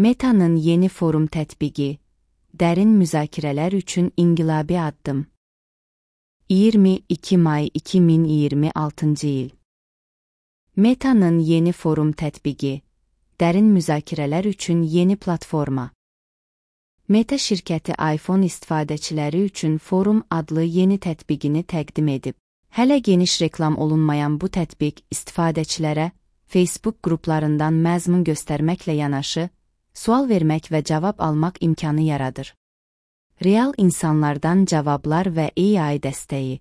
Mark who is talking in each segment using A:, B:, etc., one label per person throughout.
A: Meta'nın yeni forum tətbiqi, dərin müzakirələr üçün inqilabi addım. 22 may 2026 il. Meta'nın yeni forum tətbiqi, dərin müzakirələr üçün yeni platforma. Meta şirkəti iPhone istifadəçiləri üçün Forum adlı yeni tətbiqini təqdim edib. Hələ geniş reklam olunmayan bu tətbiq istifadəçilərə Facebook qruplarından məzmun göstərməklə yanaşı, sual vermək və cavab almaq imkanı yaradır. Real insanlardan cavablar və AI dəstəyi.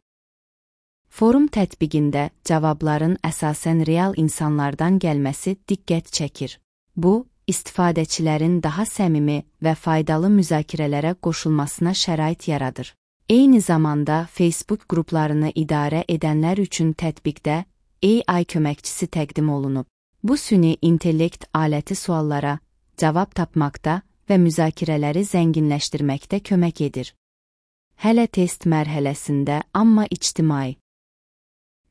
A: Forum tətbiqində cavabların əsasən real insanlardan gəlməsi diqqət çəkir. Bu, istifadəçilərin daha səmimi və faydalı müzakirələrə qoşulmasına şərait yaradır. Eyni zamanda Facebook qruplarını idarə edənlər üçün tətbiqdə AI köməkçisi təqdim olunub. Bu süni intellekt aləti suallara cavab tapmaqda və müzakirələri zənginləşdirməkdə kömək edir. Hələ test mərhələsində, amma ictimai.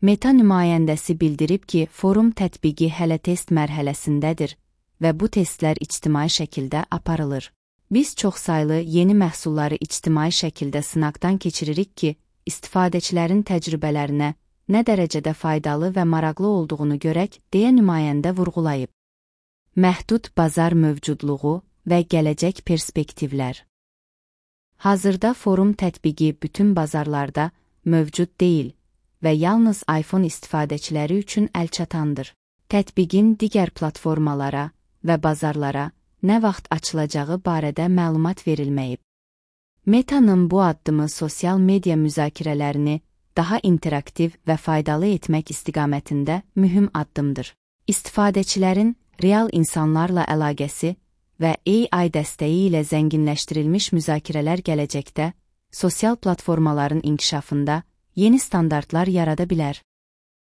A: Meta nümayəndəsi bildirib ki, forum tətbiqi hələ test mərhələsindədir və bu testlər ictimai şəkildə aparılır. Biz çoxsaylı yeni məhsulları ictimai şəkildə sınaqdan keçiririk ki, istifadəçilərin təcrübələrinə nə dərəcədə faydalı və maraqlı olduğunu görək, deyə nümayəndə vurğulayıb. Məhdud bazar mövcudluğu və gələcək perspektivlər. Hazırda forum tətbiqi bütün bazarlarda mövcud deyil və yalnız iPhone istifadəçiləri üçün əlçatandır. Tətbiqin digər platformalara və bazarlara nə vaxt açılacağı barədə məlumat verilməyib. Meta'nın bu addımı sosial media müzakirələrini daha interaktiv və faydalı etmək istiqamətində mühüm addımdır. İstifadəçilərin real insanlarla əlaqəsi və AI dəstəyi ilə zənginləşdirilmiş müzakirələr gələcəkdə sosial platformaların inkişafında yeni standartlar yarada bilər.